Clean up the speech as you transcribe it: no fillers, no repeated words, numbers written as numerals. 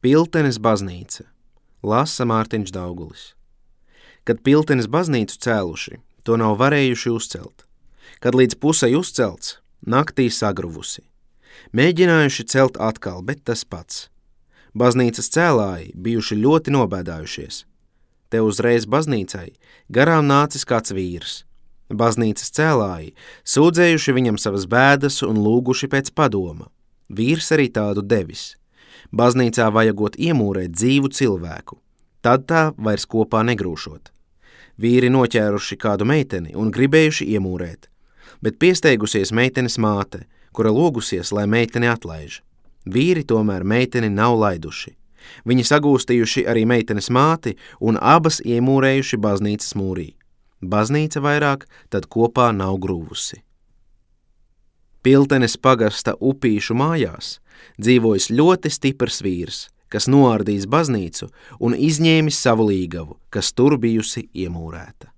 Piltenes baznīca, lasa Mārtiņš Daugulis. Kad Piltenes baznīcu cēluši, to nav varējuši uzcelt. Kad līdz pusei uzcelts, naktī sagruvusi. Mēģinājuši celt atkal, bet tas pats. Baznīcas cēlāji bijuši ļoti nobēdājušies. Te uzreiz baznīcai garām nācis kāds vīrs. Baznīcas cēlāji sūdzējuši viņam savas bēdas un lūguši pēc padoma. Vīrs arī tādu devis. Baznīcā vajagot iemūrēt dzīvu cilvēku, tad tā vairs kopā negrūšot. Vīri noķēruši kādu meiteni un gribējuši iemūrēt, bet piesteigusies meitenes māte, kura lūgusies, lai meiteni atlaiž. Vīri tomēr meiteni nav laiduši. Viņi sagūstījuši arī meitenes māti un abas iemūrējuši baznīcas mūrī. Baznīca vairāk tad kopā nav grūvusi. Piltenes pagasta Upīšu mājās dzīvojis ļoti stiprs vīrs, kas noārdījis baznīcu un izņēmis savu līgavu, kas tur bijusi iemūrēta.